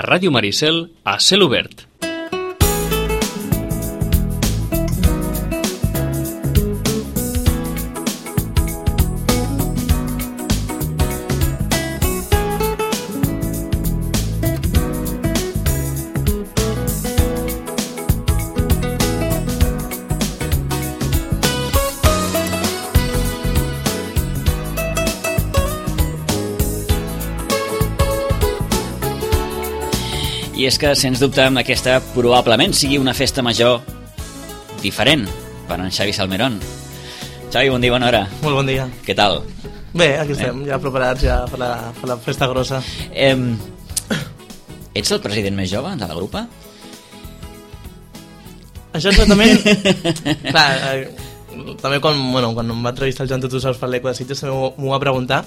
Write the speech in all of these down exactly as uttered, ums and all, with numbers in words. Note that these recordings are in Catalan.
a Ràdio Maricel a cel obert. I és que, sens dubte, aquesta probablement sigui una festa major diferent per en Xavi Salmerón. Xavi, bon dia, bona hora. Molt bon dia. Què tal? Bé, aquí estem, eh? ja preparats ja per la, per la festa grossa. Eh, ets el president més jove de la grupa? Això exactament... Clar, eh, també quan, bueno, quan em va entrevistar el Joan Tu Saps per l'Eco de Sitges també m'ho va preguntar.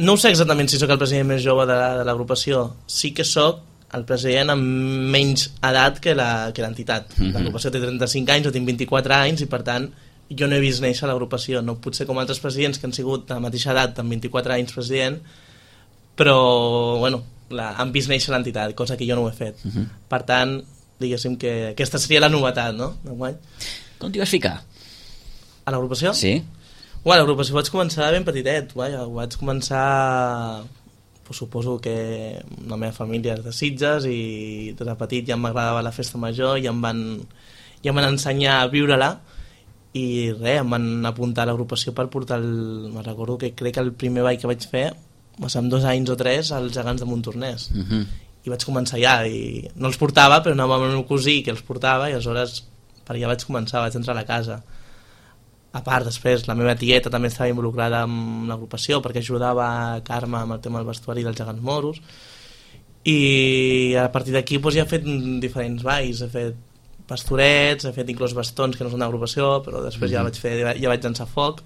No sé exactament si sóc el president més jove de, de l'agrupació. Sí que sóc el president amb menys edat que la, que l'entitat. Mm-hmm. L'agrupació té trenta-cinc anys, jo tinc vint-i-quatre anys i per tant jo no he vist néixer l'agrupació. No potser com altres presidents que han sigut de la mateixa edat, amb vint-i-quatre anys president, però bueno, la, han vist néixer l'entitat, cosa que jo no ho he fet. Mm-hmm. Per tant, diguéssim que aquesta seria la novetat, no? Com t'hi vas ficar? A l'agrupació? Sí. Bueno, l'agrupació vaig començar ben petitet, vaja, vaig començar... Suposo que la meva família és de Sitges i des de petit ja m'agradava la festa major i em van, ja em van ensenyar a viure-la i res, em van apuntar a l'agrupació per portar el... Me recordo que crec que el primer ball que vaig fer va ser amb dos anys o tres als gegants de Montornès. Uh-huh. I vaig començar ja i no els portava, però anava amb el meu cosí que els portava i aleshores per allà vaig començar, vaig entrar a la casa. A part, després, la meva tieta també estava involucrada amb l'agrupació perquè ajudava a Carme amb el tema del vestuari dels gegants moros i a partir d'aquí doncs, ja he fet diferents balls, he fet pastorets, he fet inclús bastons que no són d'agrupació, però després mm-hmm. ja vaig fer, ja vaig llançar foc.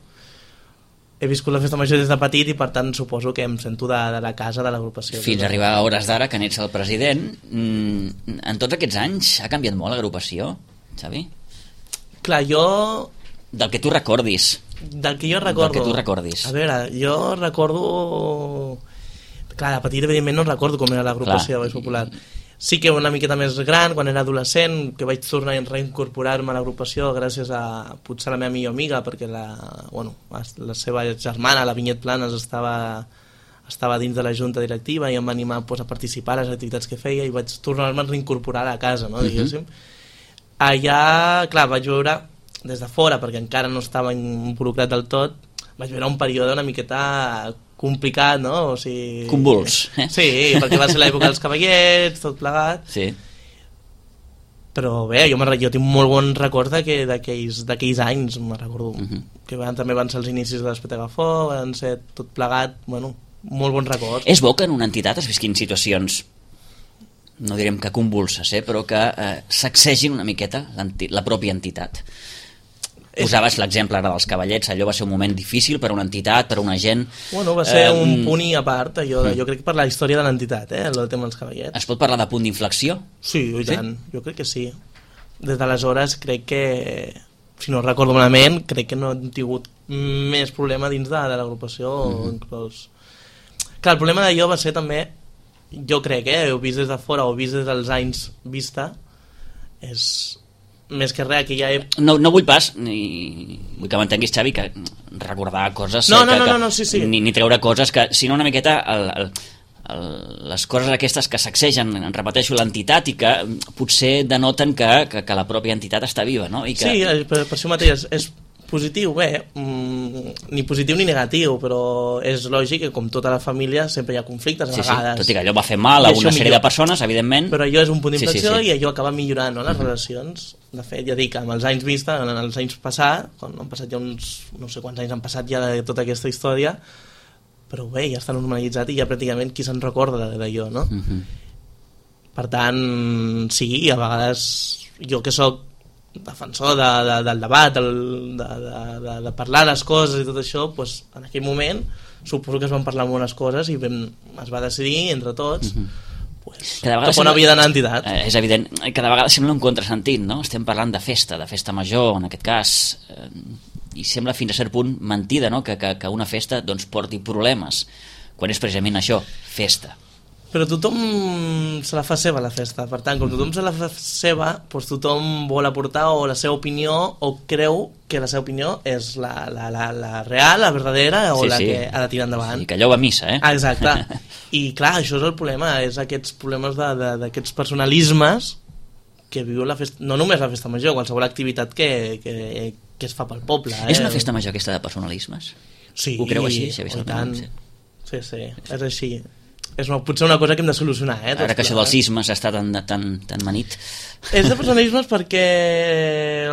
He viscut la festa major des de petit i per tant suposo que em sento de, de la casa de l'agrupació. Fins a arribar a hores d'ara que n'ets el president, en tots aquests anys ha canviat molt l'agrupació, Xavi? Clar, jo... Del que tu recordis. Del que jo recordo. Del que tu recordis. A veure, jo recordo... Clar, de petit, evidentment, no recordo com era l'agrupació de Baix Popular. Sí que una miqueta més gran, quan era adolescent, que vaig tornar a reincorporar-me a l'agrupació gràcies a, potser, a la meva millor amiga, perquè la, bueno, la seva germana, la Vinyet Planes, estava, estava dins de la junta directiva i em va animar pues, a participar a les activitats que feia i vaig tornar-me a reincorporar a la casa, no, diguéssim. Uh-huh. Allà, clar, vaig veure... des de fora, perquè encara no estava involucrat del tot, vaig veure un període una miqueta complicat, no? O sigui... Convuls, eh? Sí, perquè va ser l'època dels cavallets, tot plegat. Sí. Però bé, jo, jo tinc molt bon record d'aquells anys, me'n recordo, uh-huh. que van, també van ser els inicis de l'Espetagafó, van ser tot plegat, bueno, molt bon record. És bo que en una entitat es visquin situacions, no direm que convulses, eh, però que eh, sacsegin una miqueta la pròpia entitat. Posaves l'exemple ara dels cavallets, allò va ser un moment difícil per a una entitat, per a una gent... Bueno, va ser eh, un punt i a part, allò, mm. jo crec que per la història de l'entitat, eh, el tema dels cavallets. Es pot parlar de punt d'inflexió? Sí, i tant, sí? Jo crec que sí. Des d'aleshores crec que, si no recordo malament, crec que no hem tingut més problema dins de, de l'agrupació. Mm-hmm. Inclús... Clar, el problema d'allò va ser també, jo crec, eh, heu vist des de fora o vist des dels anys vista, és... més que res, que ja he... No, no vull pas, ni... vull que m'entenguis, Xavi, que recordar coses... No, no, que, no, no, no, sí, sí. Ni, ni treure coses que... Sinó una miqueta el, el, el, les coses aquestes que sacsegen, en repeteixo, l'entitat i que potser denoten que, que, que la pròpia entitat està viva, no? I que... Sí, per, per això mateix és positiu, bé, mmm, ni positiu ni negatiu, però és lògic que com tota la família sempre hi ha conflictes a sí, vegades. Sí, tot i que allò va fer mal a una sèrie millor. de persones, evidentment. Però allò és un punt d'inflexió sí, sí, sí. i allò acaba millorant, no?, les uh-huh. relacions. De fet, ja dic, amb els anys vista, en els anys passats, quan han passat ja uns... no sé quants anys han passat ja de tota aquesta història, però bé, ja està normalitzat i ja pràcticament qui se'n recorda d'allò, no? Uh-huh. Per tant, sí, a vegades jo que sóc defensor de, de, del debat, el, de, de, de parlar les coses i tot això, doncs, en aquell moment suposo que es van parlar moltes coses i vam, es va decidir entre tots uh-huh. pues, cap on havia d'anar l'entitat. Eh, és evident, cada vegada sembla un contrasentit, no? Estem parlant de festa, de festa major, en aquest cas, eh, i sembla fins a cert punt mentida, no? que, que, que una festa doncs, porti problemes, quan és precisament això, festa. Però tothom se la fa seva, la festa. Per tant, com tothom se la fa seva, doncs tothom vol aportar o la seva opinió o creu que la seva opinió és la, la, la, la real, la verdadera o sí, la sí. que ha de tirar endavant. Sí, que allò va a missa, eh? Ah, exacte. I clar, això és el problema, és aquests problemes d'aquests personalismes que viu la festa, no només la festa major, qualsevol activitat que, que, que es fa pel poble. Eh? És una festa major aquesta de personalismes? Sí. Ho creu així? I tant. Sí, sí, sí, és així. És una, potser una cosa que hem de solucionar, eh? Ara que això dels sismes està tan, tan, tan manit. És de personalismes perquè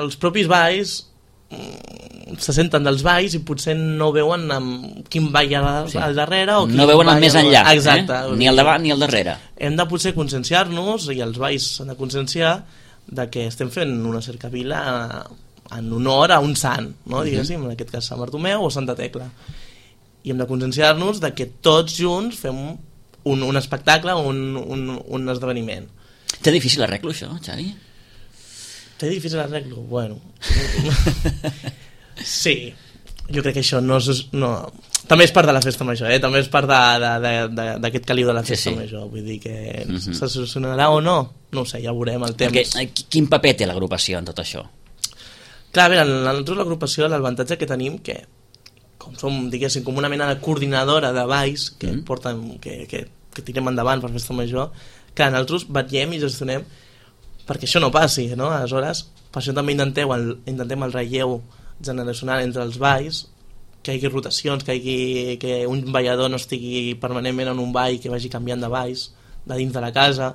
els propis balls se senten dels balls i potser no veuen amb quin ball hi ha sí. al darrere o no veuen el més enllà, exacte, eh? Ni al davant ni al darrere. Hem de potser conscienciar-nos i els balls s'han de conscienciar de que estem fent una cercavila en honor a un sant, no? Uh-huh. Diguéssim, en aquest cas Sant Bartomeu o Santa Tecla, i hem de conscienciar-nos de que tots junts fem un, un espectacle, un, un, un esdeveniment. Té difícil arreglo això, Xavi? Té difícil arreglo? Bueno. Sí, jo crec que això no és... No. També és part de la festa major, eh? També és part d'aquest caliu de la festa sí, sí. major. Vull dir que uh-huh. se solucionarà o no? No ho sé, ja ho veurem el temps. Perquè, quin paper té l'agrupació en tot això? Clar, a veure, nosaltres l'agrupació, l'avantatge que tenim, que com som, diguéssim, com una mena de coordinadora de balls que mm. porten, que, que, que tirem endavant per festa major, que nosaltres vetllem i gestionem perquè això no passi, no? Aleshores, per això també intentem el, intentem el relleu generacional entre els balls, que hi hagi rotacions, que, hi hagi, que un ballador no estigui permanentment en un ball, que vagi canviant de balls de dins de la casa.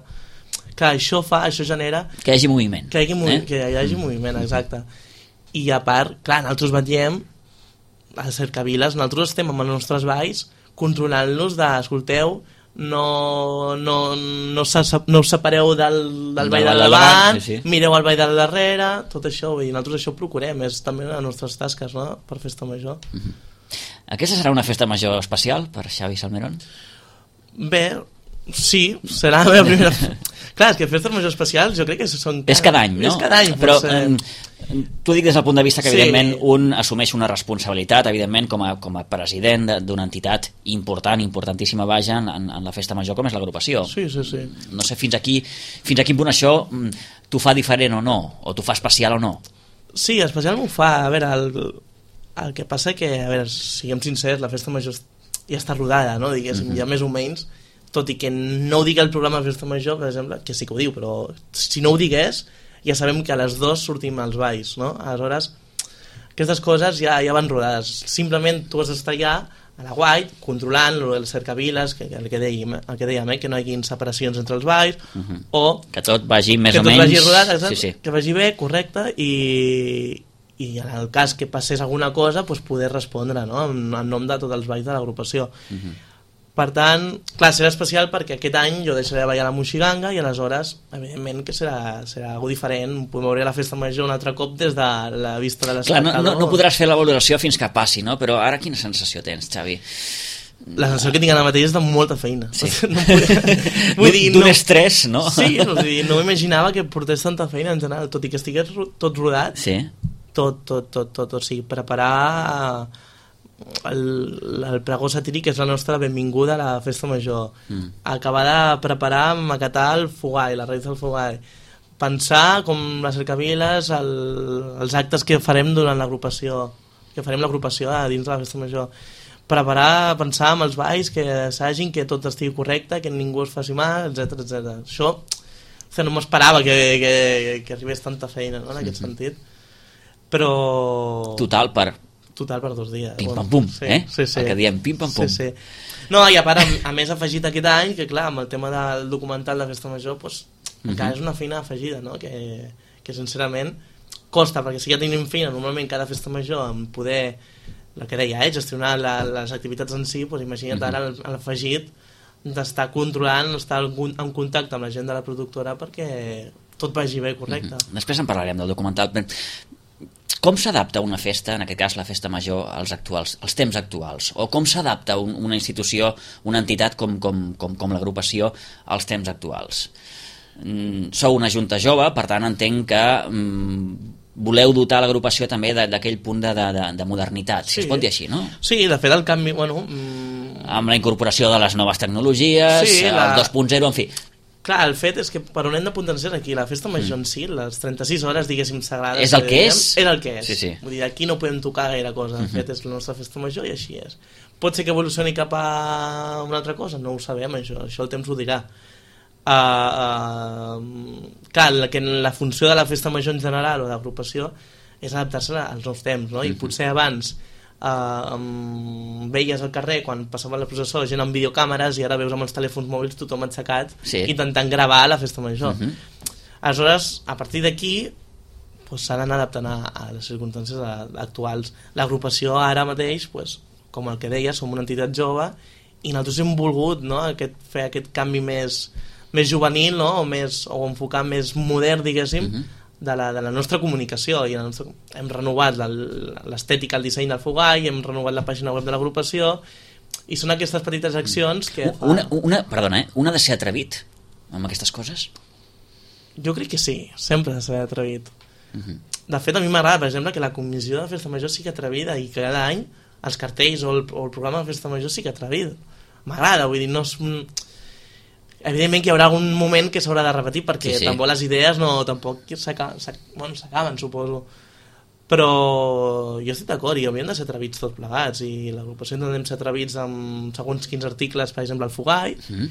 Clar, això fa, això genera... Que hi hagi moviment. Que hi hagi, movi eh? que hi hagi moviment, exacte. I a part, clar, nosaltres vetllem a cercaviles, nosaltres estem amb els nostres balls controlant-los de, escolteu, no, no, no, no us separeu del, del ball del davant, sí, sí. mireu el ball del darrere, tot això, i nosaltres això ho procurem, és també una de les nostres tasques, no?, per festa major. Uh-huh. Aquesta serà una festa major especial per Xavi Salmerón? Bé, sí, serà la meva primera... Clar, és que festes majors especials jo crec que són... És cada any, no? És cada any, però ser... eh, t'ho dic des del punt de vista que, sí. evidentment, un assumeix una responsabilitat, evidentment, com a, com a president d'una entitat important, importantíssima, vaja, en, en la festa major, com és l'agrupació. Sí, sí, sí. No sé fins aquí, fins a quin punt això t'ho fa diferent o no, o t'ho fa especial o no. Sí, especial m'ho fa. A veure, el, el que passa que, a veure, siguem sincers, la festa major ja està rodada, no? Diguéssim, mm-hmm. ja més o menys, tot i que no ho digui el programa de festa major, per exemple, que sí que ho diu, però si no ho digués, ja sabem que a les dues sortim als balls, no? Aleshores, aquestes coses ja, ja van rodades. Simplement tu has d'estar allà a la guai, controlant el cercaviles, que, el que dèiem, el que dèiem eh? que no hi hagi separacions entre els balls, uh-huh. o... Que tot vagi més o menys... Vagi rodat, exacte, sí, sí. Que vagi bé, correcte, i, i en el cas que passés alguna cosa, doncs poder respondre, no?, en, en nom de tots els balls de l'agrupació. Uh-huh. Per tant, clar, serà especial perquè aquest any jo deixaré de ballar la Moixiganga i aleshores, evidentment, que serà, serà algo diferent. Podem veure la festa major un altre cop des de la vista de l'espectador. Clar, no, no, no podràs fer la valoració fins que passi, no? Però ara quina sensació tens, Xavi? La sensació que tinc ara mateix és de molta feina. Sí. No vull, vull dir, d'un no, estrès, no? Sí, no, vull dir, no m'imaginava que portés tanta feina en general, tot i que estigués tot rodat. Sí. Tot, tot, tot, tot, o sigui, preparar... El, el pregó satíric és la nostra benvinguda a la festa major, mm. acabar de preparar, maquetar el fogall, la raïs del fogall, pensar com les cercaviles, el, els actes que farem durant l'agrupació, que farem l'agrupació a dins de la festa major, preparar, pensar amb els balls que s'hagin, que tot estigui correcte, que ningú es faci mal, etcètera, etcètera. Això o sigui, no m'esperava que, que, que arribés tanta feina, no?, en aquest mm-hmm. sentit, però... Total, per... Total per dos dies. Pim pam pum, sí, eh? Sí, sí. El que diem pim pam pum. Sí, sí. No, i a part, a, a més afegit aquest any, que clar, amb el tema del documental de Festa Major, doncs, mm-hmm. encara és una feina afegida, no?, que, que sincerament costa, perquè si ja tenim feina normalment cada Festa Major en poder, el que deia, eh, gestionar la, les activitats en si, doncs imagina't mm-hmm. ara l'afegit d'estar controlant, estar en contacte amb la gent de la productora perquè tot vagi bé, correcte. Mm-hmm. Després en parlarem del documental. Com s'adapta una festa, en aquest cas la festa major, als actuals, als temps actuals? O com s'adapta un, una institució, una entitat com, com, com, com l'agrupació als temps actuals? Mm, sou una junta jove, per tant entenc que mm, voleu dotar l'agrupació també d'aquell punt de, de, de modernitat, si sí. es pot dir així, no? Sí, de fet el canvi, bueno, mm, amb la incorporació de les noves tecnologies, sí, la... el dos punt zero, en fi. Clar, el fet és que per on hem de potenciar aquí, la festa major mm. en si, les trenta-sis hores, diguéssim, sagrades... És el que és? És el que és. Sí, sí. Vull dir, aquí no podem tocar gaire cosa, el mm -hmm. fet és la nostra festa major i així és. Pot ser que evolucioni cap a una altra cosa? No ho sabem, això, això el temps ho dirà. Uh, uh, clar, la, que la funció de la festa major en general o d'agrupació és adaptar-se als nous temps, no? I mm -hmm. potser abans Uh, um, veies al carrer quan passava la processó gent amb videocàmeres i ara veus amb els telèfons mòbils tothom aixecat sí. intentant gravar la festa major. Uh -huh. Aleshores, a partir d'aquí pues, s'ha d'anar adaptant a, a les circumstàncies actuals. L'agrupació ara mateix, pues, com el que deia, som una entitat jove i nosaltres hem volgut, no, aquest, fer aquest canvi més, més juvenil, no, o, més, o enfocar més modern, diguéssim, uh -huh. De la, de la nostra comunicació i la nostra, hem renovat l'estètica, el disseny del Fogall, hem renovat la pàgina web de l'agrupació i són aquestes petites accions que fa... una, una, perdona, eh? Un ha de ser atrevit amb aquestes coses? Jo crec que sí, sempre ha de ser atrevit. Uh -huh. De fet, a mi m'agrada, per exemple, que la comissió de Festa Major sigui atrevida i que cada any els cartells o el, o el programa de Festa Major sigui atrevido. M'agrada, vull dir, no és... Evidentment que hi haurà algun moment que s'haurà de repetir perquè sí, sí. tampoc les idees no tampoc s'acaben, bueno, s'acaben, suposo, però jo estic d'acord i hauríem de ser atrevits tots plegats i l'agrupació intentem ser atrevits amb segons quins articles, per exemple el Fogall, mm-hmm.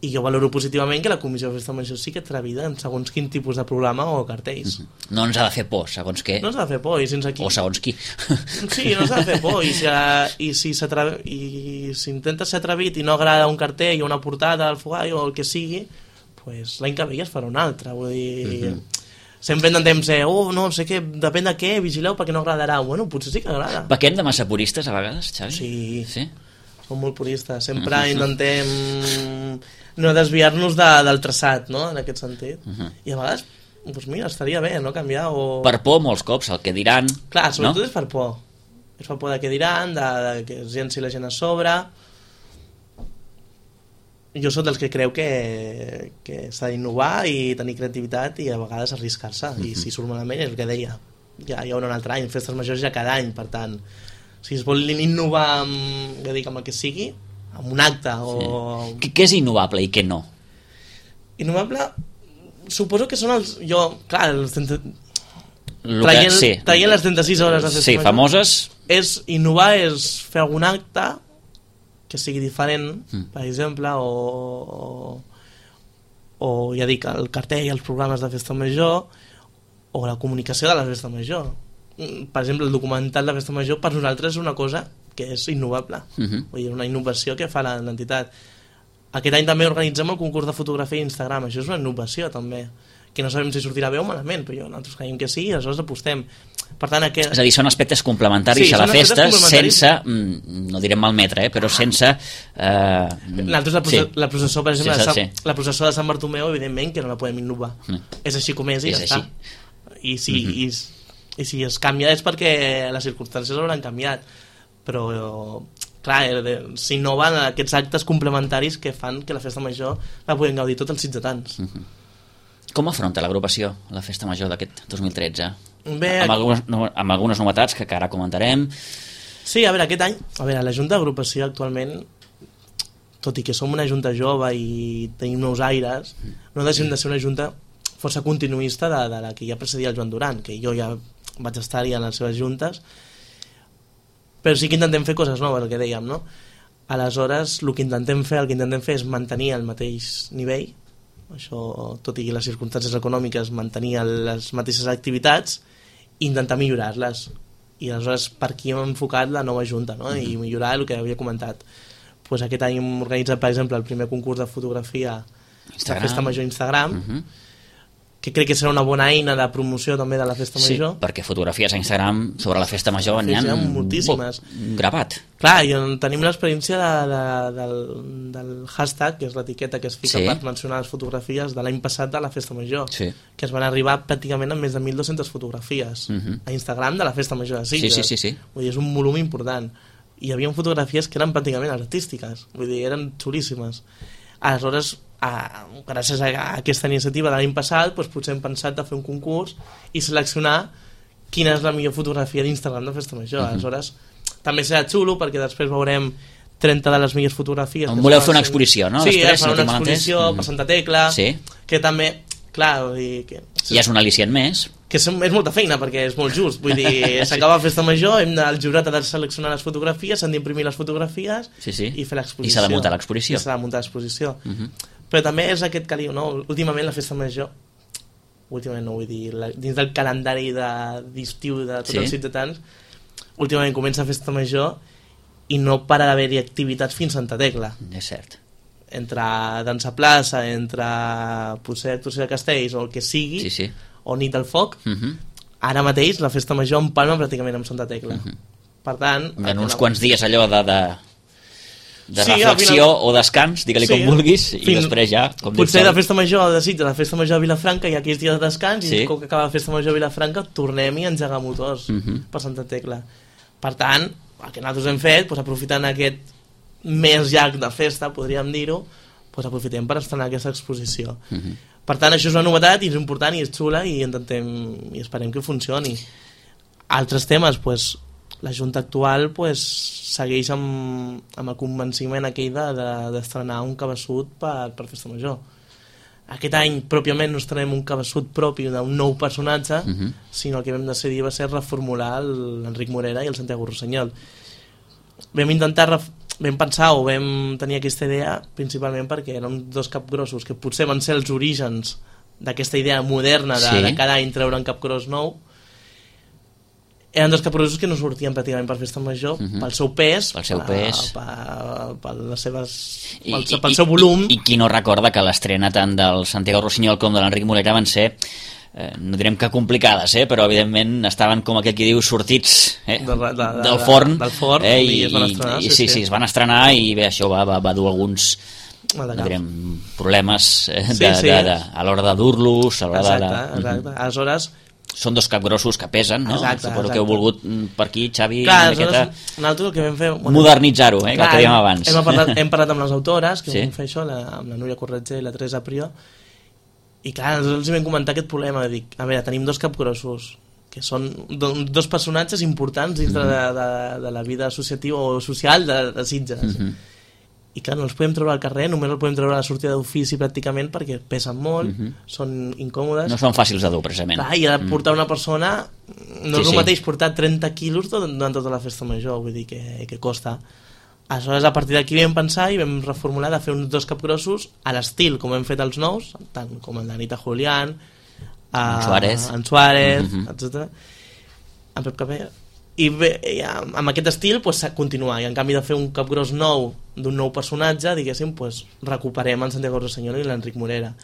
i jo valoro positivament que la comissió de Festa Major sigui atrevida en segons quin tipus de programa o cartells. Mm-hmm. No ens ha de fer por, segons què. No ens ha de fer por, i sense aquí... O segons qui. Sí, no ens ha de fer por, i si, i si i si intentes ser atrevit i no agrada un cartell o una portada al Fogall o el que sigui, pues, l'any que ve ja es farà un altre, vull dir... Mm-hmm. Sempre intentem ser, oh, no, no sé què, depèn de què, vigileu perquè no agradarà. Bueno, potser sí que agrada. Pequem de massa puristes a vegades, Xavi? Sí, sí? Som molt puristes, sempre uh-huh. intentem no desviar-nos de, del traçat, no?, en aquest sentit. Uh-huh. I a vegades, doncs mira, estaria bé, no?, canviar o... Per por, molts cops, el que diran... Clar, sobretot no? és per por. És per por de què diran, de, de que es llenci la gent a sobre... Jo sóc dels que creu que, que s'ha d'innovar i tenir creativitat i a vegades arriscar-se. Uh-huh. I si surt malament és el que deia. Ja hi haurà un altre any, festes majors ja cada any, per tant... Si es vol innovar amb, ja dic, amb el que sigui, amb un acte o... Sí. Què és innovable i què no? Innovable, suposo que són els... Jo, clar, els trenta... Lo traient, que, sí. traient les trenta-sis hores de festa sí, major, famoses... És, innovar és fer algun acte que sigui diferent, mm. per exemple, o, o, o ja dic, el cartell, els programes de festa major, o la comunicació de la festa major. Per exemple, el documental de festa major per nosaltres és una cosa que és innovable. Uh-huh. Vull dir, una innovació que fa l'entitat. Aquest any també organitzem el concurs de fotografia a Instagram. Això és una innovació també, que no sabem si sortirà bé o malament, però jo, nosaltres creiem que sí i aleshores apostem. Per tant, aquest... És a dir, són aspectes complementaris sí, a la festa sense, no direm malmetre, eh, però sense... Eh... Nosaltres la, process sí. la processó, per exemple, sí, sí, sí. la processó de Sant Bartomeu, evidentment que no la podem innovar. Mm. És així com és i és ja així. està. I si, mm-hmm. i, i si es canvia és perquè les circumstàncies hauran canviat, però clar, s'innoven aquests actes complementaris que fan que la festa major la puguin gaudir tots els ciutadans. Mm-hmm. Com afronta l'agrupació la festa major d'aquest dos mil tretze? Bé, amb, algunes, no, amb algunes novetats que ara comentarem. Sí, a veure, aquest any a veure, la Junta d'Agrupació actualment, tot i que som una junta jove i tenim nous aires, no deixem de ser una junta força continuista de, de la que ja precedia el Joan Duran, que jo ja vaig estar-hi en les seves juntes, però sí que intentem fer coses noves, el que dèiem, no? Aleshores, el que intentem fer, el que intentem fer és mantenir el mateix nivell, això, tot i les circumstàncies econòmiques, mantenir les mateixes activitats i intentar millorar-les. I aleshores per aquí hem enfocat la nova junta, no? I millorar el que havia comentat. Pues aquest any hem organitzat, per exemple, el primer concurs de fotografia Instagram. De Festa Major Instagram, uh-huh. que crec que serà una bona eina de promoció també de la Festa Major. Sí, perquè fotografies a Instagram sobre la Festa Major n'hi ha moltíssimes. Gravat. Clar, i tenim l'experiència de, de, del, del hashtag, que és l'etiqueta que es fica sí. per mencionar les fotografies de l'any passat de la Festa Major, sí. que es van arribar pràcticament amb més de mil dues-centes fotografies uh-huh. a Instagram de la Festa Major de Sitges. Sí, sí, sí, sí. Vull dir, és un volum important. I hi havia fotografies que eren pràcticament artístiques, vull dir, eren xulíssimes. Aleshores, a, gràcies a aquesta iniciativa de l'any passat, doncs potser hem pensat de fer un concurs i seleccionar quina és la millor fotografia d'Instagram de Festa Major. Uh-huh. Aleshores, també serà xulo perquè després veurem trenta de les millors fotografies. On voleu fer una exposició, no? Sí, Després, fan si una no exposició mm. per Santa Tecla, sí. que també, clar, vull dir, que, ja és un al·licient més. que és, és molta feina, perquè és molt just, vull dir, s'acaba la festa major, hem de, el jurat ha de seleccionar les fotografies, s'han d'imprimir les fotografies sí, sí. i fer l'exposició. I s'ha de muntar l'exposició. I s'ha de muntar l'exposició. Uh -huh. Però també és aquest caliu, no? Últimament la festa major, últimament no vull dir, la, dins del calendari d'estiu de, de tots sí. els ciutadans, últimament comença la festa major i no para d'haver-hi activitats fins a Santa Tecla. És cert. Entre dansa plaça, entre potser actuació de castells o el que sigui, sí, sí. o nit del foc, uh -huh. ara mateix la festa major empalma pràcticament amb Santa Tecla. Uh -huh. Per tant... En uns quants dies allò de... de... de sí, reflexió final... o descans, digue-li sí, com vulguis, i fins... després ja... Com potser la festa major de Sitges, la festa major de Vilafranca, hi ha aquells dies de descans, sí. i com que acaba la festa major de Vilafranca, tornem i engegar motors uh -huh. per Santa Tecla. Per tant, el que nosaltres hem fet, doncs, aprofitant aquest mes llarg de festa, podríem dir-ho, doncs aprofitem per estrenar aquesta exposició. Uh -huh. Per tant, això és una novetat i és important i és xula i intentem i esperem que funcioni. Altres temes, doncs, la Junta actual pues, segueix amb, amb el convenciment aquell d'estrenar de, de, un cabeçut per, per Festa Major. Aquest any pròpiament no estrenem un cabeçut propi d'un nou personatge, uh -huh. sinó el que vam decidir va ser reformular l'Enric Morera i el Santiago Rossinyol. Vam intentar, vam pensar o vam tenir aquesta idea principalment perquè eren dos capgrossos que potser van ser els orígens d'aquesta idea moderna de, sí. de cada any treure un capgros nou. Eren dos capgrossos que no sortien pràcticament per Festa Major, uh -huh. pel seu pes, pel seu, pes. Per, per, per les seves, I, pel, pel seu volum. I, i qui no recorda que l'estrena tant del Santiago Rossinyol com de l'Enric Morera van ser, eh, no direm que complicades, eh, però evidentment estaven, com aquell qui diu, sortits eh, de, de, de, del forn, del forn eh, i, i es van estrenar. I, sí, sí, sí, es van estrenar i bé, això va, va, va dur alguns no direm, problemes eh, de, sí, sí. De, de, a l'hora de dur-los, a l'hora exacte, de... Exacte, uh -huh. aleshores... Són dos capgrossos que pesen, no? Exacte, Suposo exacte. que heu volgut per aquí, Xavi, clar, una miqueta... Nosaltres el que vam fer... Bueno, modernitzar-ho, eh, clar, que dèiem abans. Hem parlat, hem parlat amb les autores, que sí. vam fer això, la, amb la Núria Corretger i la Teresa Prió, i clar, nosaltres els vam comentar aquest problema, de dir, a veure, tenim dos capgrossos, que són do, dos personatges importants dins mm -hmm. de, de, de la vida associativa o social de, de Sitges. Mm -hmm. I clar, no els podem treure al carrer, només els podem treure a la sortida d'ofici pràcticament perquè pesen molt, uh -huh. són incòmodes. No són fàcils de dur, precisament. Clar, i ha de portar una persona, no sí, és el sí. mateix portar trenta quilos durant tota la festa major, vull dir que, que costa. Aleshores, a partir d'aquí vam pensar i vam reformular de fer uns dos capgrossos a l'estil, com hem fet els nous, tant com el d'Anita Julián, en Suárez, en Suárez, uh -huh. etcètera. En Pep Capella. I, bé, i amb aquest estil pues, continuar, i en canvi de fer un capgros nou d'un nou personatge, diguéssim, pues, recuperem el Santiago Rossinyol i l'Enric Morera.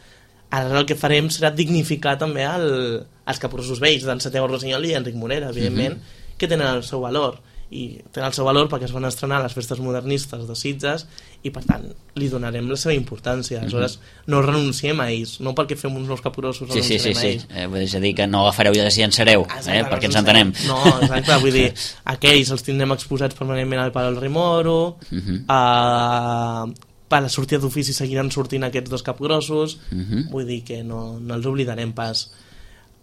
Ara el que farem serà dignificar també el, els capgrossos vells d'en Santiago Rossinyol i Enric Morera, evidentment, uh -huh. que tenen el seu valor, i tenen el seu valor perquè es van estrenar a les festes modernistes de Sitges i per tant li donarem la seva importància. Aleshores uh -huh. no renunciem a ells, no perquè fem uns nous capgrossos sí, sí, sí, sí. a ells. Eh, vull dir que no agafareu i desllençareu, eh, perquè ens entenem. No, exacte, vull dir, aquells els tindrem exposats permanentment al Palau del Rei Moro, uh -huh. a... per la sortida d'ofici seguiran sortint aquests dos capgrossos, uh -huh. vull dir que no, no els oblidarem pas.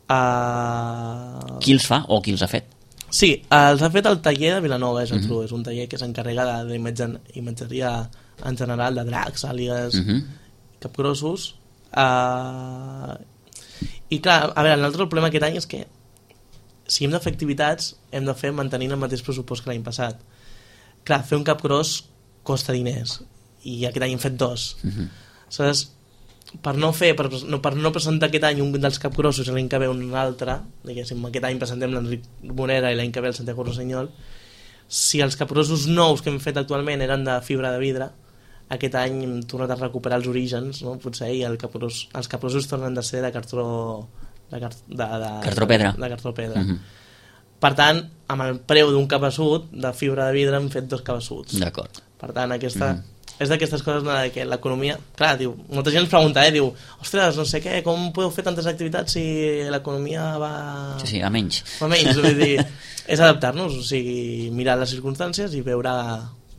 Uh... Qui els fa o qui els ha fet? Sí, els ha fet el taller de Vilanova, és, uh -huh. és un taller que s'encarrega d'imatgeria en general, de dracs, àligues, uh -huh. capgrossos. Uh... I clar, a veure, l'altre problema aquest any és que si hem de fer activitats, hem de fer mantenint el mateix pressupost que l'any passat. Clar, fer un capgros costa diners, i aquest any hem fet dos. Uh -huh. Aleshores, per no fer, per no, per no presentar aquest any un dels capgrossos i l'any que ve un altre, diguéssim, aquest any presentem l'Enric Morera i l'any que ve el Santiago Rossinyol, si els capgrossos nous que hem fet actualment eren de fibra de vidre, aquest any hem tornat a recuperar els orígens, no? Potser, i el capgros, els capgrossos tornen de ser de cartró de, car, de, de, cartró pedra, de, de cartró pedra. Uh -huh. Per tant, amb el preu d'un cabeçut de fibra de vidre hem fet dos cabessuts. D'acord. Per tant, aquesta... Uh -huh. és d'aquestes coses de que l'economia... Clar, diu, molta gent ens pregunta, eh? Diu, ostres, no sé què, com podeu fer tantes activitats si l'economia va... Sí, sí, a menys. A menys, vull dir, és adaptar-nos, o sigui, mirar les circumstàncies i veure,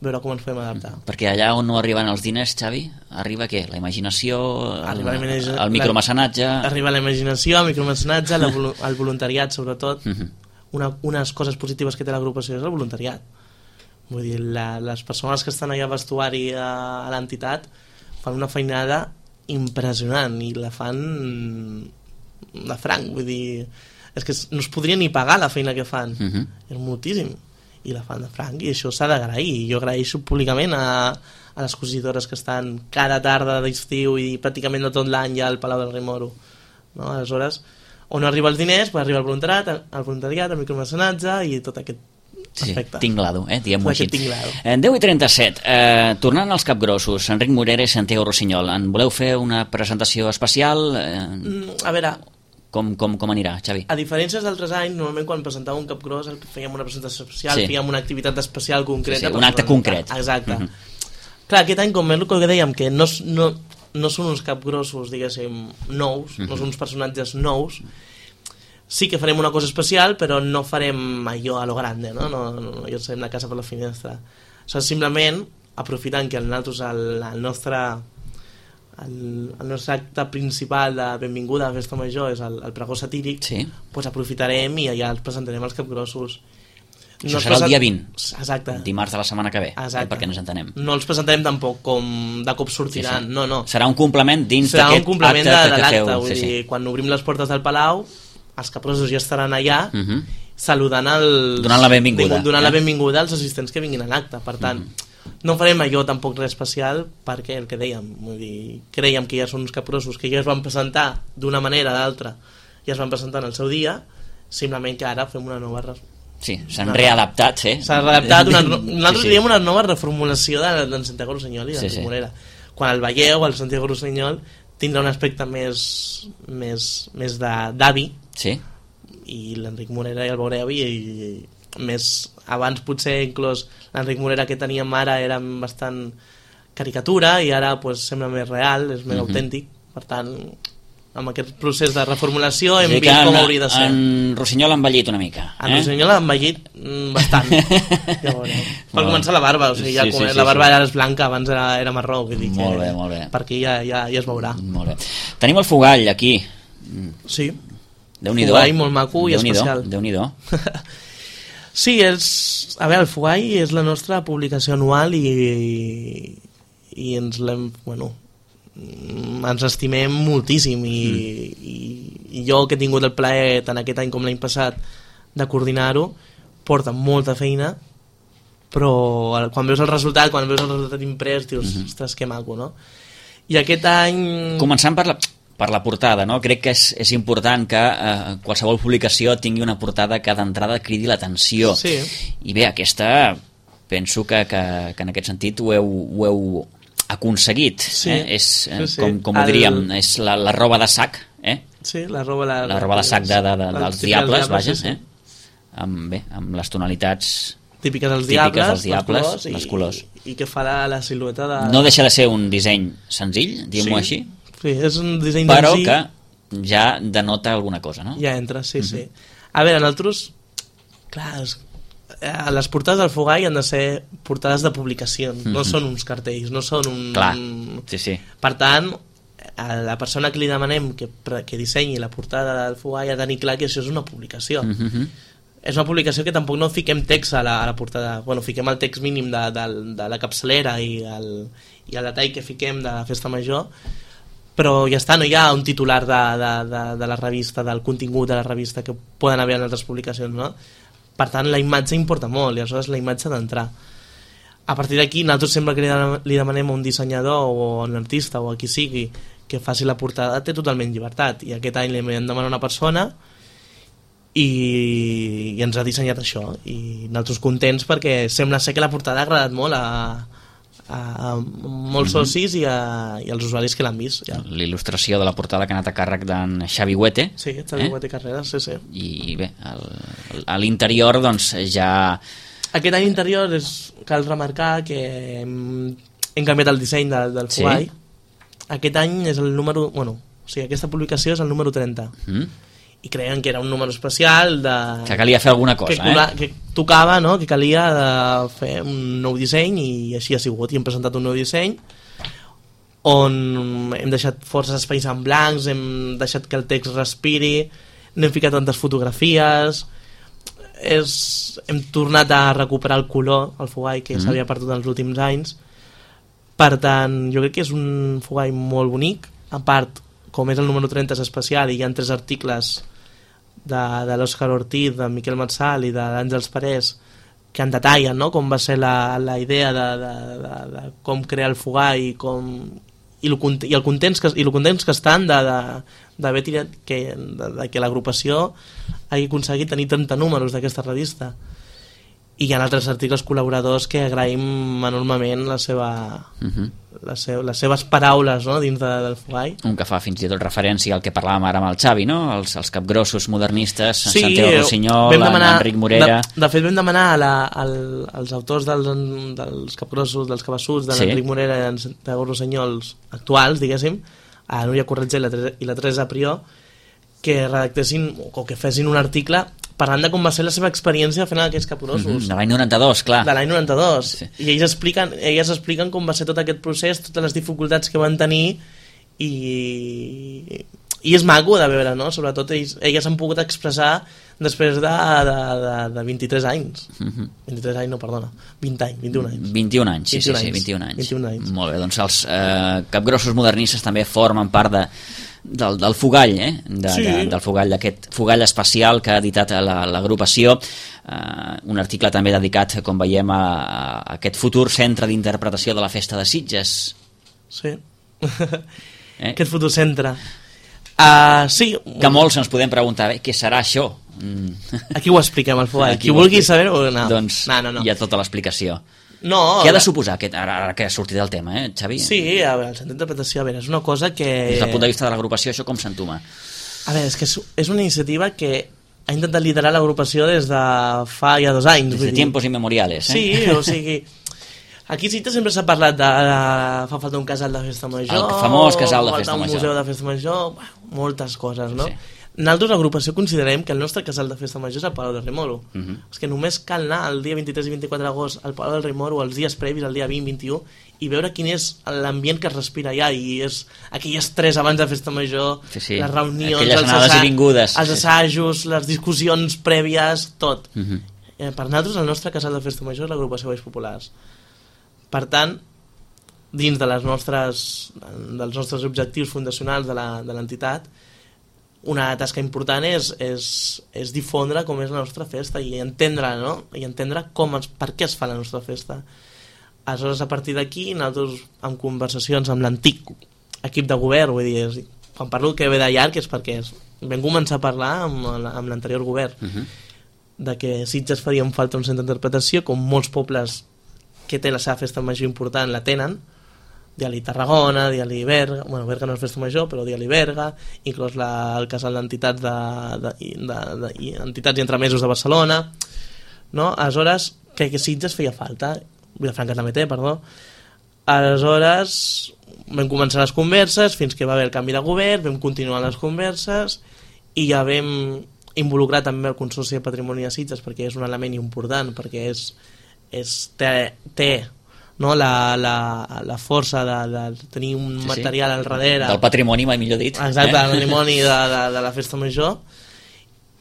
veure com ens podem adaptar. Perquè allà on no arriben els diners, Xavi, arriba què? La imaginació, el, el, el micromecenatge... Arriba la imaginació, el micromecenatge, el voluntariat, sobretot. Uh -huh. Una, unes coses positives que té l'agrupació és el voluntariat. Vull dir, la, les persones que estan allà a vestuari a, a l'entitat fan una feinada impressionant i la fan de franc, vull dir, és que no es podria ni pagar la feina que fan, uh-huh. és moltíssim, i la fan de franc, i això s'ha d'agrair, i jo agraeixo públicament a, a les expositores que estan cada tarda d'estiu i pràcticament de tot l'any ja al Palau del Rei Moro, no? Aleshores, on no arriba els diners, pues arriba el voluntariat, el voluntariat, el micromecenatge i tot aquest sí, aspecte. Tinglado, eh? Diguem-ho així. Tinglado. deu i trenta-set, eh, tornant als capgrossos, Enric Morera i Santiago Rossinyol, en voleu fer una presentació especial? Eh, mm, a veure, com, com, com anirà, Xavi? a diferència d'altres anys, normalment quan presentàvem un capgros fèiem una presentació especial, sí. fèiem una activitat especial concreta. Sí, sí, un acte concret. Exacte. Uh-huh. Clar, aquest any, com és el que dèiem, que no, no, no són uns capgrossos, diguéssim, nous, uh-huh. no són uns personatges nous, sí que farem una cosa especial, però no farem allò a lo grande, no? No, no, no llançarem la casa per la finestra. O sigui, simplement, aprofitant que nosaltres el, el nostre el, el nostre acte principal de benvinguda a la festa major és el, el pregó satíric, sí. pues aprofitarem i allà els presentarem els capgrossos. Això no serà present... el dia vint, exacte. Dimarts de la setmana que ve, eh, perquè ens entenem. No els presentarem tampoc com de cop sortiran, sí, sí. no, no. Serà un complement dins serà d'aquest un complement acte de, de que l'acte, feu. Vull sí, dir, sí. quan obrim les portes del Palau, els capgrossos ja estaran allà, uh-huh. saludant els... Donant la benvinguda. Donant eh? la benvinguda als assistents que vinguin a l'acte. Per tant, uh-huh. no farem allò tampoc res especial perquè el que dèiem, vull dir, creiem que ja són uns capgrossos que ja es van presentar d'una manera o d'altra, ja es van presentar en el seu dia, simplement que ara fem una nova... Sí, s'han readaptat, sí. S'ha readaptat, una, nosaltres sí, sí. diem una nova reformulació de, de Santiago Rossinyol i de sí, sí. Morera. Quan el veieu, el Santiago Rossinyol tindrà un aspecte més, més, més d'avi, sí. i l'Enric Morera ja el veureu i, i més abans potser inclús l'Enric Morera que teníem ara era bastant caricatura i ara pues, sembla més real, és més uh-huh. autèntic, per tant amb aquest procés de reformulació hem vist com en, hauria de ser. En Rossinyol ha envellit una mica. En eh? Rossinyol ha envellit bastant. Ja veureu. Per començar la barba, o sigui, ja sí, sí, sí, la barba sí. ara és blanca, abans era, era marró. Vull dir molt que bé, molt bé. Per aquí ja, ja, ja es veurà. Molt bé. Tenim el Fogall aquí. Sí. Déu-n'hi-do. Fogall molt maco i Déu-n'hi-do. especial. Déu-n'hi-do. Sí, és... A veure, el Fogall és la nostra publicació anual i, i ens l'hem... Bueno, ens estimem moltíssim i, mm. i, i jo que he tingut el plaer tant aquest any com l'any passat de coordinar-ho, porta molta feina, però quan veus el resultat, quan veus el resultat imprès dius, mm-hmm. ostres, que maco, no? I aquest any... Començant per la, per la portada, no? Crec que és, és important que eh, qualsevol publicació tingui una portada que d'entrada cridi l'atenció. Sí. I bé, aquesta penso que, que, que en aquest sentit ho heu, ho heu aconseguit, sí, eh? És, eh, sí, sí. com, com ho diríem, el... és la, la roba de sac, eh? Sí, la roba, la, la roba de sac de, de, de, dels diables, vaja, sí, sí. eh? Amb, bé, amb les tonalitats típiques dels típiques diables, dels diables les colors, les colors. I, i que fa la, la silueta de... No deixa de ser un disseny senzill, diguem-ho sí, així, sí, és un disseny però senzill, que ja denota alguna cosa, no? Ja entra, sí, uh-huh. sí. A veure, nosaltres, clar, és, eh, les portades del Fogall han de ser portades de publicació, uh-huh. no són uns cartells, no són un... Clar, sí, sí. Per tant, a la persona que li demanem que, que dissenyi la portada del Fogall ha de tenir clar que això és una publicació. Uh-huh. És una publicació que tampoc no fiquem text a la, a la portada. Bueno, fiquem el text mínim de, de, de la capçalera i el, i el detall que fiquem de la festa major, però ja està, no hi ha un titular de, de, de, de la revista, del contingut de la revista que poden haver en altres publicacions, no? Per tant, la imatge importa molt i aleshores la imatge ha d'entrar. A partir d'aquí, nosaltres sempre que li, li demanem a un dissenyador o a un artista o a qui sigui que faci la portada, té totalment llibertat, i aquest any li hem demanat una persona i, i ens ha dissenyat això, i nosaltres contents perquè sembla ser que la portada ha agradat molt a, a, a molts mm-hmm. socis i, a, i als usuaris que l'han vist. Ja. L'il·lustració de la portada que ha anat a càrrec d'en Xavi Huete. Sí, Xavi eh? Huete Carreras, sí, sí. I bé, el, el, a l'interior doncs ja... Aquest any interior és, cal remarcar que hem, hem canviat el disseny de, del Fogall. Sí. Aquest any és el número... Bueno, o sigui, aquesta publicació és el número trenta. Mm. I creien que era un número especial de... Que calia fer alguna cosa, que, eh? Que tocava, no?, que calia de fer un nou disseny, i així ha sigut. I hem presentat un nou disseny on hem deixat forces espais en blancs, hem deixat que el text respiri, no hem ficat tantes fotografies, és, hem tornat a recuperar el color, el fogall que mm. s'havia perdut els últims anys. Per tant, jo crec que és un fogall molt bonic. A part, com és el número trenta, és especial i hi ha tres articles de, de l'Òscar Ortiz, de Miquel Matsal i de l'Àngels Parés que en detallen, no?, com va ser la, la idea de, de, de, de com crear el fogall i com i el, i el contents que, i el contents que estan de, de, d'haver tirat que, de, de que l'agrupació hagi aconseguit tenir trenta números d'aquesta revista. I hi ha altres articles col·laboradors que agraïm enormement la seva, uh-huh. la seu, les seves paraules, no?, dins de, del fogall. Un que fa fins i tot referència al que parlàvem ara amb el Xavi, no?, els, els capgrossos modernistes, sí, Santiago Rossinyol, Enric Morera... De, de fet vam demanar a la, al, als autors dels, dels capgrossos, dels cabassuts, de l'Enric sí. Morera i en Santiago Rossinyol actuals, diguéssim, a Núria Corretger i la, i la Teresa Prió, que redactessin o que fessin un article parlant de com va ser la seva experiència fent aquests capgrossos. Mm-hmm, de l'any noranta-dos, clar. De l'any noranta-dos. Sí. I ells expliquen, elles expliquen com va ser tot aquest procés, totes les dificultats que van tenir i, i és maco de veure, no? Sobretot ells, elles s'han pogut expressar després de, de, de, de vint-i-tres anys. Mm-hmm. vint-i-tres anys, no, perdona. vint anys, vint-i-un anys. vint-i-un anys, sí, vint-i-un sí, sí, anys. vint-i-un anys. vint-i-un anys. Molt bé, doncs els eh, capgrossos modernistes també formen part de Del, del fogall, eh? de, sí. de, del fogall, d'aquest fogall especial que ha editat l'agrupació, uh, un article també dedicat, com veiem, a, a aquest futur centre d'interpretació de la Festa de Sitges. Sí, eh? Aquest futur centre. Uh, sí. Que molts ens podem preguntar, bé, què serà això? Mm. Aquí ho expliquem, al fogall. Qui vulgui saber-ho, no. Doncs no, no, no. hi ha tota l'explicació. No, què ha de suposar aquest, ara, ara que ha sortit del tema, eh, Xavi? Sí, a veure, el centre d'interpretació, a veure, és una cosa que... Des del punt de vista de l'agrupació, això com s'entuma? A veure, és que és una iniciativa que ha intentat liderar l'agrupació des de fa ja dos anys. Des de tiempos inmemoriales, eh? Sí, o sigui... Aquí sí sempre s'ha parlat de, de... Fa falta un casal de festa major... El famós casal de festa major. Un museu de festa major... Bueno, moltes coses, no? Sí. Nosaltres, l'agrupació, considerem que el nostre casal de festa major és el Palau del Rei Moro. Uh-huh. És que només cal anar el dia vint-i-tres i vint-i-quatre d'agost al Palau del Rei Moro, els dies previs, el dia vint, vint-i-u, i veure quin és l'ambient que es respira allà, i és aquell estrès abans de festa major, sí, sí. les reunions, aquelles anades i vingudes, els assajos, les discussions prèvies, tot. Uh-huh. Eh, per nosaltres, el nostre casal de festa major és l'agrupació Balls Populars. Per tant, dins de les nostres, dels nostres objectius fundacionals de l'entitat, una tasca important és, és, és difondre com és la nostra festa i entendre, no? I entendre com es, per què es fa la nostra festa. Aleshores, a partir d'aquí, nosaltres, en conversacions amb l'antic equip de govern, vull dir, és, quan parlo que ve de llarg és perquè és, vam començar a parlar amb, amb l'anterior govern uh-huh. de que Sitges faria falta un centre d'interpretació, com molts pobles que té la seva festa major important la tenen, dia-li Tarragona, dia-li Berga, bueno, Berga no és festa major, però dia-li Berga, inclòs la, el casal d'entitats de, de, de, de, de, entitats i entremesos de Barcelona, no? Aleshores, crec que Sitges feia falta, Vilafranca també té, perdó. Aleshores, vam començar les converses, fins que va haver el canvi de govern, vam continuar les converses, i ja vam involucrar també el Consorci de Patrimoni de Sitges, perquè és un element important, perquè és, és té... té no? la, la, la força de, de tenir un sí, material sí. al darrere del patrimoni, mai millor dit, exacte, eh? del patrimoni de, de, de la festa major,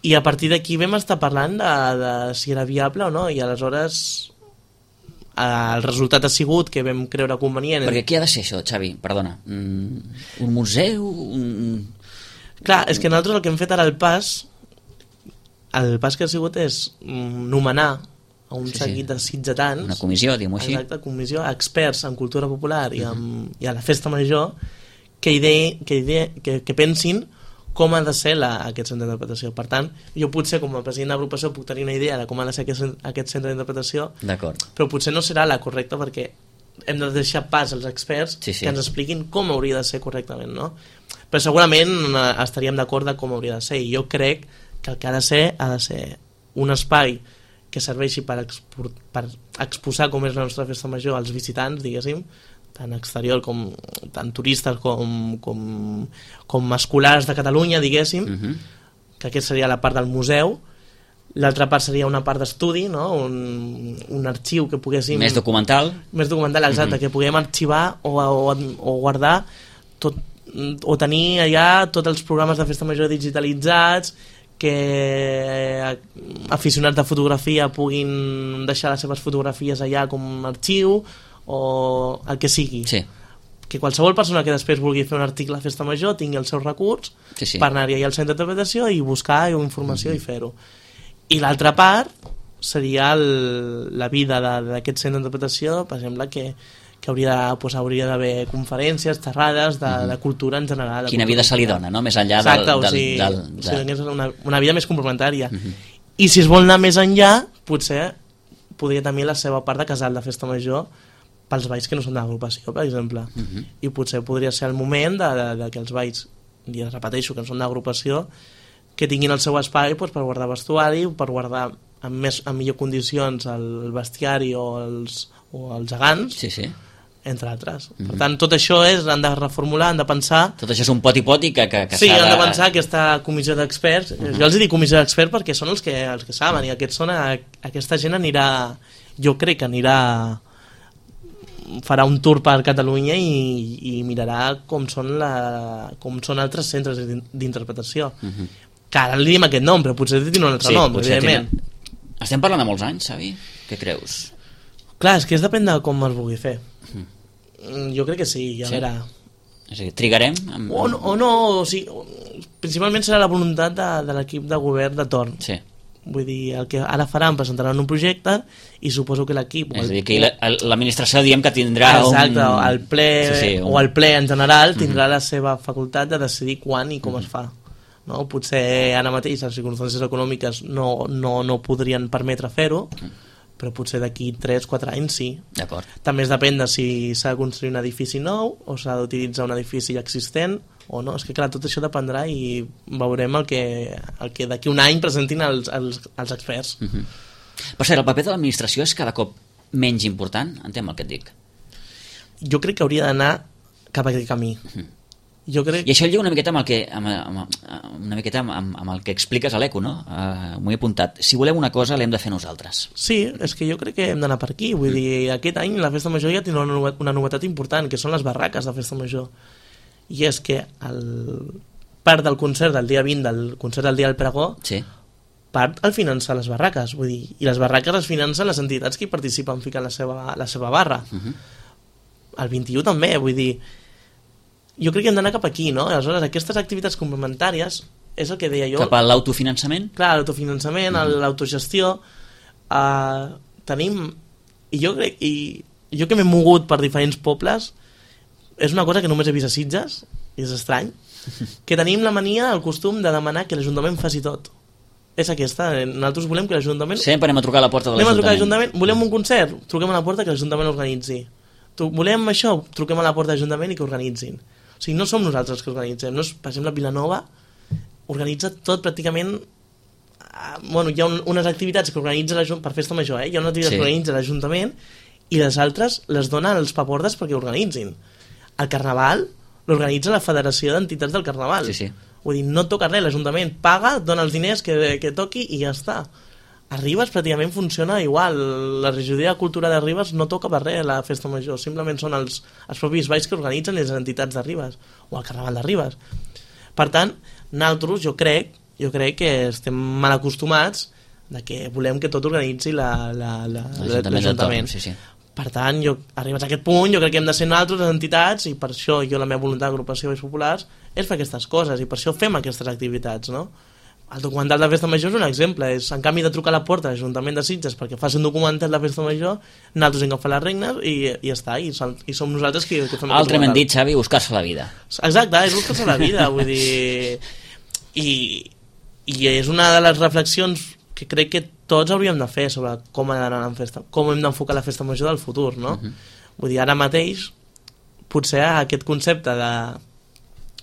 i a partir d'aquí vam estar parlant de, de si era viable o no, i aleshores el resultat ha sigut que vam creure convenient. Perquè què ha de ser això, Xavi? Perdona, un museu? Un... Clar, és que nosaltres el que hem fet ara el pas el pas que ha sigut és nomenar a un sí, seguit sí. de sitgetans, una comissió, diguem-ho així, exacte, comissió, experts en cultura popular i, en, uh-huh. i a la festa major que, idea, que, idea, que, que pensin com ha de ser la, aquest centre d'interpretació. Per tant, jo potser com a president d'agrupació puc tenir una idea de com ha de ser aquest, aquest centre d'interpretació, però potser no serà la correcta, perquè hem de deixar pas als experts sí, sí. que ens expliquin com hauria de ser correctament, no? Però segurament estaríem d'acord de com hauria de ser, i jo crec que el que ha de ser ha de ser un espai que serveixi per, expor, per exposar com és la nostra festa major als visitants, diguéssim, tant exterior com tant turistes com, com, com escolars de Catalunya, diguéssim, uh-huh. que aquesta seria la part del museu. L'altra part seria una part d'estudi, no? un, un arxiu que poguéssim... Més documental. Més documental, exacte, uh-huh. que puguem arxivar o, o, o guardar tot, o tenir allà tots els programes de festa major digitalitzats, que aficionats de fotografia puguin deixar les seves fotografies allà com a arxiu o el que sigui. Sí. Que qualsevol persona que després vulgui fer un article a Festa Major tingui el seu recurs Sí, sí. per anar-hi al centre d'interpretació i buscar informació mm-hmm. i fer-ho. I l'altra part seria el, la vida d'aquest centre d'interpretació, per exemple, que, que hauria, pues, hauria d'haver conferències, xerrades de, mm-hmm. de cultura en general. Quina vida se li dona, no? Més enllà Exacte, del... del, o sigui, del, del, del... o sigui, una, una vida més complementària. Mm-hmm. I si es vol anar més enllà, potser podria tenir la seva part de casal de Festa Major pels balls que no són d'agrupació, per exemple. Uh-huh. I potser podria ser el moment de, de, de que els balls, i repeteixo, que no són d'agrupació, que tinguin el seu espai doncs, per guardar vestuari, per guardar en, més, en millor condicions el bestiari o els, o els gegants, sí, sí. entre altres. Uh-huh. Per tant, tot això és, han de reformular, han de pensar... Tot això és un poti-poti que, que, que sí, s'ha de... han de pensar aquesta comissió d'experts. Uh-huh. Jo els dic comissió d'experts perquè són els que, els que saben, i aquests són, a, aquesta gent anirà, jo crec que anirà... farà un tour per Catalunya i, i mirarà com són, la, com són altres centres d'interpretació. Uh-huh. Que ara li diem aquest nom, però potser tenen un altre sí, nom, evidentment. Tenen... Estem parlant de molts anys, Xavi? Què creus? Clar, és que es depèn de com es vulgui fer. Uh-huh. Jo crec que sí, ja sí. Verà. És a dir, trigarem? Amb... O, no, o no, o sigui, principalment serà la voluntat de, de l'equip de govern de torn. Sí. Vull dir, el que ara faran, presentaran un projecte i suposo que l'equip... És a dir, que l'administració diem que tindrà exacte, un... el ple, sí, sí, un... o el ple en general tindrà uh-huh. la seva facultat de decidir quan i com uh-huh. es fa. No? Potser ara mateix les circumstàncies econòmiques no, no, no podrien permetre fer-ho, uh-huh. però potser d'aquí tres quatre anys sí. D'acord. També es depèn de si s'ha de construir un edifici nou o s'ha d'utilitzar un edifici existent o no, és que clar, tot això dependrà i veurem el que, el que d'aquí un any presentin els, els, els experts. Uh-huh. Per cert, el paper de l'administració és cada cop menys important? Entenc el que et dic. Jo crec que hauria d'anar cap a aquest camí. Uh-huh. Jo crec... I això lliga una miqueta amb el que, amb, amb, una miqueta amb, amb el que expliques a l'Eco, no? Uh, m'ho he apuntat. Si volem una cosa, l'hem de fer nosaltres. Sí, és que jo crec que hem d'anar per aquí. Vull mm. dir, aquest any la Festa Major ja tindrà una, una novetat important, que són les barraques de Festa Major. I és que el part del concert del dia vint, del concert del dia del pregó, sí. part el finançar les barraques. Vull dir, i les barraques es financen les entitats que hi participen ficant la seva, la seva barra. Uh-huh. El vint-i-u també, vull dir... Jo crec que hem d'anar cap aquí, no? Aleshores, aquestes activitats complementàries és el que deia jo... Cap a l'autofinançament? Clar, l'autofinançament, mm-hmm. l'autogestió... Uh, tenim... I jo crec... I jo que m'he mogut per diferents pobles, és una cosa que només he vist a Sitges, i és estrany, que tenim la mania, el costum de demanar que l'Ajuntament faci tot. És aquesta. Nosaltres volem que l'Ajuntament... Sempre anem a trucar a la porta de l'Ajuntament. Anem a trucar a l'Ajuntament. Volem un concert? Truquem a la porta que l'Ajuntament organitzi. Volem això? Truquem a la porta de l'Ajuntament i que organitzin. O sigui, no som nosaltres que organitzem. No és, per exemple, Vilanova organitza tot pràcticament... Uh, bueno, hi ha un, unes activitats que organitza l'Ajuntament per Festa Major, eh? Hi ha unes activitats sí. que organitza l'Ajuntament i les altres les dona als papordes perquè organitzin. El Carnaval l'organitza la Federació d'Entitats del Carnaval. Sí, sí. Vull dir, no toca res, l'Ajuntament paga, dona els diners que, que toqui i ja està. A Ribes pràcticament funciona igual. La regidoria de cultura de Ribes no toca per res la Festa Major, simplement són els, els propis balls que organitzen les entitats de Ribes o el Carnaval de Ribes. Per tant, nosaltres jo crec jo crec que estem mal acostumats de que volem que tot organitzi la, la, la, l'Ajuntament. Sí, sí. Per tant, jo, arribats a aquest punt, jo crec que hem de ser nosaltres les entitats i per això jo la meva voluntat d'agrupació de Balls Populars és fer aquestes coses i per això fem aquestes activitats, no? El documental de Festa Major és un exemple, és en canvi de trucar a la porta de l'Ajuntament de Sitges perquè faci un documental de Festa Major, nosaltres hem agafat les regnes i, i ja està, i som, i som nosaltres que, que fem el altrament dit, Xavi, buscar-se la vida. Exacte, és buscar-se la vida, vull dir... I, I és una de les reflexions que crec que tots hauríem de fer sobre com ha d'anar en festa, com hem d'enfocar la Festa Major del futur, no? Uh-huh. Vull dir, ara mateix potser aquest concepte de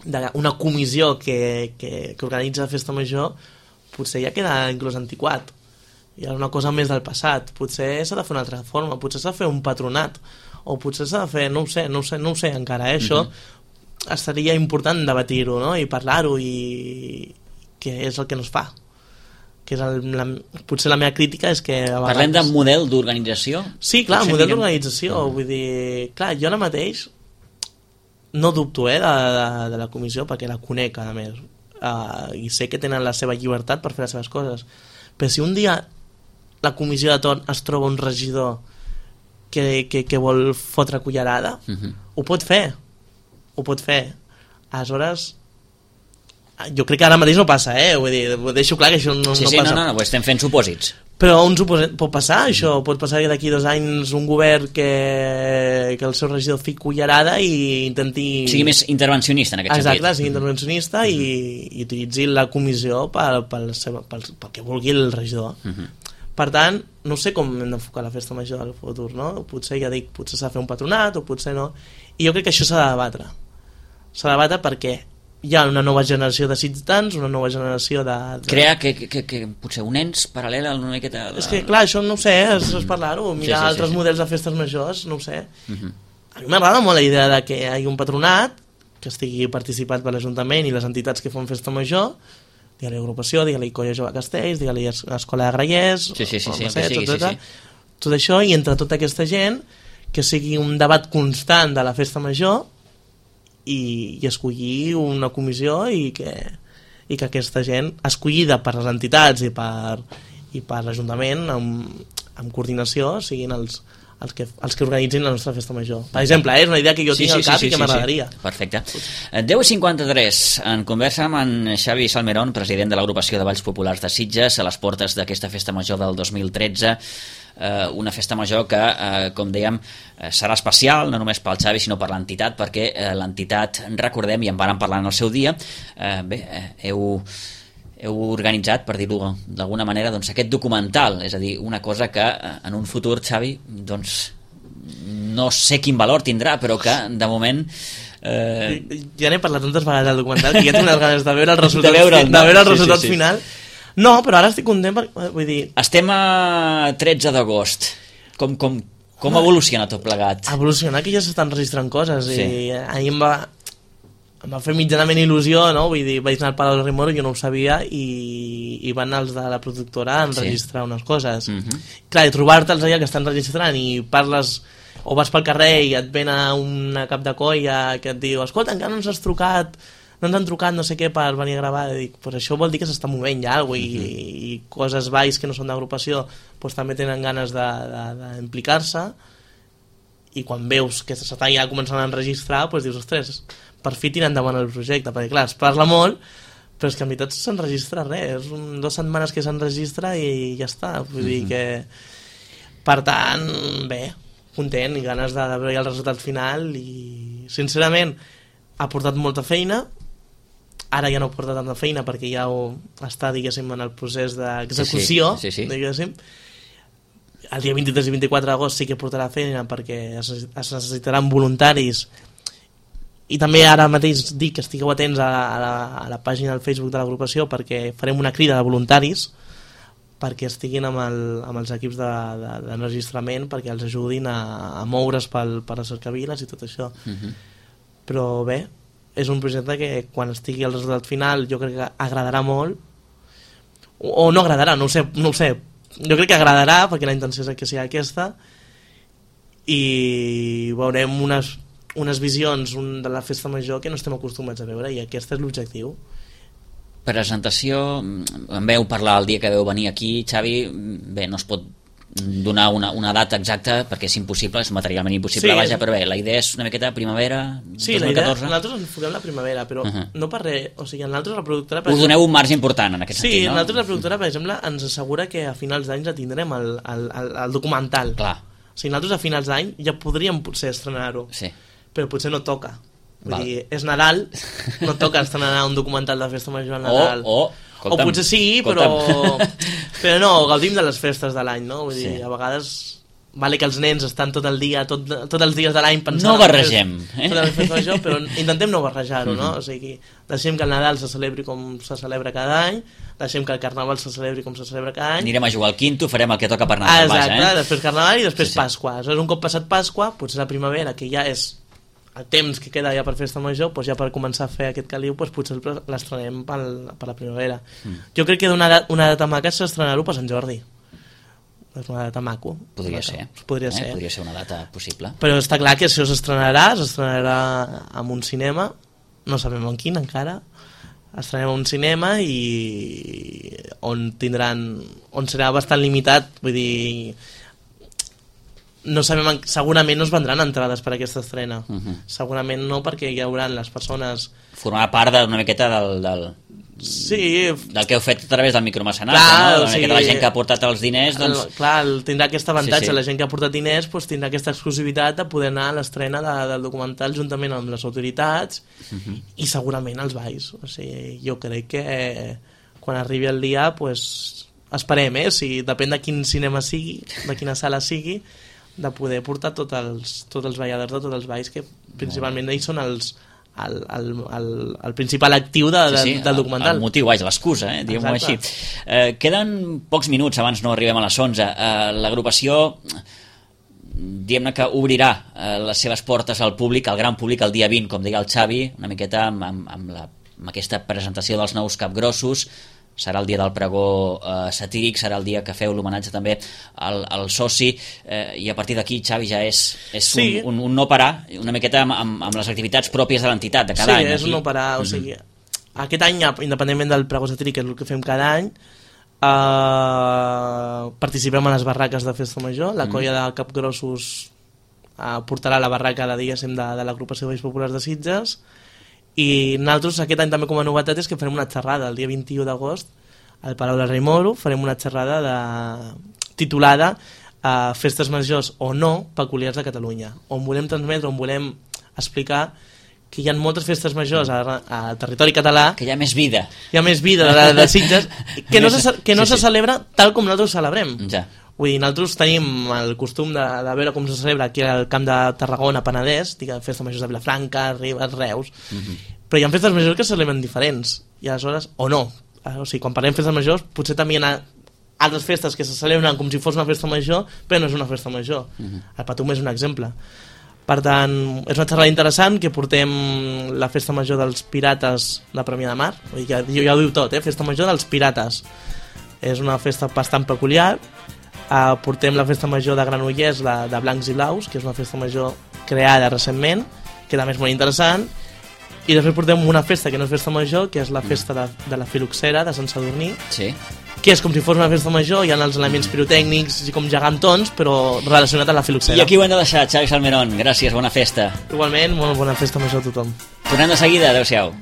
d'una comissió que, que, que organitza la Festa Major potser ja queda inclús antiquat, ja és una cosa més del passat, potser s'ha de fer una altra forma, potser s'ha de fer un patronat o potser s'ha de fer, no ho sé, no ho sé, no ho sé encara, eh, això uh-huh. seria important debatir-ho, no? I parlar-ho i que és el que no es fa, que és el, la, potser la meva crítica és que a vegades... Parlem de model d'organització? Sí, clar, model d'organització, uh-huh. vull dir, clar, jo ara mateix no dubto eh, de, de, de la comissió perquè la conec a més uh, i sé que tenen la seva llibertat per fer les seves coses, però si un dia la comissió de torn es troba un regidor que, que, que vol fotre cullerada, uh-huh. ho pot fer, ho pot fer. Aleshores, jo crec que ara mateix no passa, eh? Vull dir, ho deixo clar que això no, sí, no sí, passa. Sí, no, no, no, estem fent supòsits. Però un supòsit pot passar, això, pot passar que d'aquí dos anys un govern que, que el seu regidor fiqui cullerada i intenti... Sigui més intervencionista en aquest Exacte, sentit. Exacte, sigui intervencionista mm-hmm. i, i utilitzi la comissió pel, pel, pel, pel, pel que vulgui el regidor. Mm-hmm. Per tant, no sé com hem d'enfocar la festa major del futur, no? Potser, ja dic, potser s'ha de fer un patronat o potser no. I jo crec que això s'ha de debatre. S'ha de debatre perquè hi ha una nova generació de ciutadans, una nova generació de... de... Crear que, que, que potser un ens paral·lel a una miqueta... De... És que, clar, això no ho sé, és, és parlar-ho, mirar sí, sí, altres sí, sí. models de festes majors, no ho sé. Uh-huh. A mi m'agrada molt la idea de que hi hagi un patronat que estigui participat per l'Ajuntament i les entitats que fan festa major, digue-li agrupació, digue-li Colla Jove Castells, digue-li Escola de Grallers, sí, sí, sí, sí, sé, sí, tot, sí, sí. tot això, i entre tota aquesta gent que sigui un debat constant de la festa major i, i escollir una comissió i que, i que aquesta gent escollida per les entitats i per, i per l'Ajuntament amb, amb coordinació siguin els, els, que, els que organitzin la nostra festa major. Per exemple, eh, és una idea que jo sí, tinc sí, al cap sí, sí, i que sí, m'agradaria. Sí. Perfecte. deu i cinquanta-tres, en conversa amb en Xavi Salmerón, president de l'agrupació de Balls Populars de Sitges, a les portes d'aquesta festa major del dos mil tretze, eh, una festa major que, eh, com dèiem, eh, serà especial, no només pel Xavi, sinó per l'entitat, perquè eh, l'entitat, recordem, i en vàrem parlar en el seu dia, eh, bé, eh, heu... heu organitzat, per dir-ho d'alguna manera, doncs, aquest documental, és a dir, una cosa que en un futur, Xavi, doncs, no sé quin valor tindrà, però que, de moment... Eh... Ja n'he parlat tantes vegades del documental que ja tinc unes ganes de veure el resultat, de veure el, de veure el sí, resultat sí, sí. final. No, però ara estic content, per, vull dir... Estem a tretze d'agost. Com, com, com evoluciona tot plegat? Evolucionar, que ja s'estan registrant coses, sí. i ahir em va... em va fer mitjanament il·lusió, no? Vull dir, vaig anar al Palau del Rimoro, jo no ho sabia, i, i van els de la productora a enregistrar sí. unes coses. Uh-huh. Clar, i trobar-te'ls allà que estan registrant i parles, o vas pel carrer i et ven a una cap de colla que et diu, escolta, encara no ens has trucat, no ens han trucat no sé què per venir a gravar, i dic, pues això vol dir que s'està movent ja alguna cosa, uh-huh. i, i coses baix que no són d'agrupació pues també tenen ganes d'implicar-se, i quan veus que s'està ja començant a enregistrar, pues dius, ostres, per fi tirar endavant el projecte, perquè clar, es parla molt, però és que en veritat s'enregistra res, és un, dues setmanes que s'enregistra i ja està, vull dir que per tant, bé, content i ganes de veure el resultat final, i sincerament ha portat molta feina, ara ja no porta tanta feina perquè ja ho està, diguéssim, en el procés d'execució, sí, sí, sí, sí. diguéssim. El dia vint-i-tres i vint-i-quatre d'agost sí que portarà feina perquè es necessitaran voluntaris, i també ara mateix dic que estigueu atents a la, a la, a la pàgina del Facebook de l'agrupació perquè farem una crida de voluntaris perquè estiguin amb, el, amb els equips d'enregistrament de, de, perquè els ajudin a, a moure's pel, per les cercaviles i tot això. Uh-huh. Però bé, és un projecte que quan estigui el resultat final jo crec que agradarà molt, o, o no agradarà, no ho sé, no ho sé. Jo crec que agradarà perquè la intenció és que sigui aquesta, i veurem unes unes visions un, de la festa major que no estem acostumats a veure, i aquest és l'objectiu. Presentació, en veu parlar el dia que veu venir aquí, Xavi, bé, no es pot donar una, una data exacta perquè és impossible, és materialment impossible, sí, vaja, però bé, la idea és una miqueta primavera sí, dos mil catorze. Sí, nosaltres ens enfoquem la primavera, però uh-huh. no per res, o sigui, nosaltres la productora... Us doneu un marge important en aquest sí, sentit, no? Sí, nosaltres la productora, per exemple, ens assegura que a finals d'any ja tindrem el, el, el, el documental. Clar. O sigui, nosaltres a finals d'any ja podríem potser estrenar-ho. Sí. Però potser no toca. Vull Val. dir, és Nadal, no toca estrenar un documental de festa major al Nadal. O, o, o potser sí, però, però no, gaudim de les festes de l'any, no? Vull dir, sí. a vegades vale que els nens estan tot el dia, tot, tots els dies de l'any pensant... No barregem. Eh? Tota la festa major, però intentem no barrejar-ho, no? O sigui, deixem que el Nadal se celebri com se celebra cada any, deixem que el Carnaval se celebri com se celebra cada any. Anirem a jugar al quinto, farem el que toca per Nadal. Exacte, vaja, eh? després Carnaval i després sí, sí. Pasqua. Aleshores, un cop passat Pasqua, potser la primavera, que ja és el temps que queda ja per festa major, doncs ja per començar a fer aquest caliu, doncs potser l'estrenem per, per la primavera. Mm. Jo crec que una, una data maca és estrenar-ho per Sant Jordi. És una data maco. Podria maca. ser. Podria, eh? ser. Podria ser una data possible. Però està clar que això s'estrenarà, s'estrenarà en un cinema, no sabem en quin encara, estrenem a un cinema i on tindran on serà bastant limitat, vull dir, no sabem, segurament no es vendran entrades per a aquesta estrena, uh-huh. segurament no, perquè hi haurà les persones... Formar part d'una miqueta del, del, sí. del que heu fet a través del micromecenat, no? Una sí. miqueta la gent que ha portat els diners, doncs... El, clar, tindrà aquest avantatge, sí, sí. la gent que ha portat diners doncs, tindrà aquesta exclusivitat de poder anar a l'estrena de, del documental juntament amb les autoritats uh-huh. i segurament els balls. O sigui, jo crec que quan arribi el dia, doncs, esperem, eh? Si depèn de quin cinema sigui, de quina sala sigui, de poder portar tots els, tots els balladors de tots els balls, que principalment ells són els, el, el, el, el principal actiu de, de, sí, sí, del documental. El, el motiu, vaja, l'excusa, eh? diguem-ho així. Eh, queden pocs minuts abans no arribem a les onze. Eh, L'agrupació, diguem-ne que obrirà eh, les seves portes al públic, al gran públic, el dia vint, com deia el Xavi, una miqueta amb, amb, amb, la, amb aquesta presentació dels nous capgrossos. Serà el dia del pregó eh, satíric, serà el dia que feu l'homenatge també al, al soci, eh, i a partir d'aquí, Xavi, ja és, és sí. un, un, un no parar, una miqueta amb, amb, amb les activitats pròpies de l'entitat de cada sí, any. Sí, és un no parar, o sigui, mm-hmm. aquest any, independentment del pregó satíric, que és el que fem cada any, eh, participem a les barraques de Festa Major, la mm-hmm. colla de capgrossos eh, portarà la barraca de, diguéssim, de, de l'agrupació de Balls Populars de Sitges. I nosaltres aquest any també com a novetat és que farem una xerrada el dia vint-i-u d'agost al Palau del Rei Moro, farem una xerrada de... titulada uh, Festes Majors o no peculiars de Catalunya, on volem transmetre, on volem explicar que hi ha moltes festes majors al territori català, que hi ha més vida hi ha més vida de, de Sitges que no, se, que no sí, se celebra tal com nosaltres celebrem ja. Vull dir, nosaltres tenim el costum de, de veure com se celebra aquí al Camp de Tarragona, Penedès, diguem, festes majors de Vilafranca, Ribes, Reus, uh-huh. però hi ha festes majors que se celebren diferents, i aleshores, o no, o sigui, quan parlem de festes majors, potser també hi ha altres festes que se celebren com si fos una festa major, però no és una festa major. Uh-huh. El Patum és un exemple. Per tant, és una xerrada interessant que portem la festa major dels Pirates de Premià de Mar, vull dir, ja, ja ho diu tot, eh? Festa major dels Pirates. És una festa bastant peculiar. Uh, portem la festa major de Granollers de, de Blancs i Blaus, que és una festa major creada recentment, que també és molt interessant, i després portem una festa que no és festa major, que és la festa de, de la Filoxera de Sant Sadurní, sí. que és com si fos una festa major, hi ha els elements pirotècnics i com gegantons, però relacionat amb la Filoxera. I aquí ho hem de deixar, Xavi Salmerón, gràcies, bona festa. Igualment, molt bona festa major a tothom. Tornem de seguida, adeu-siau.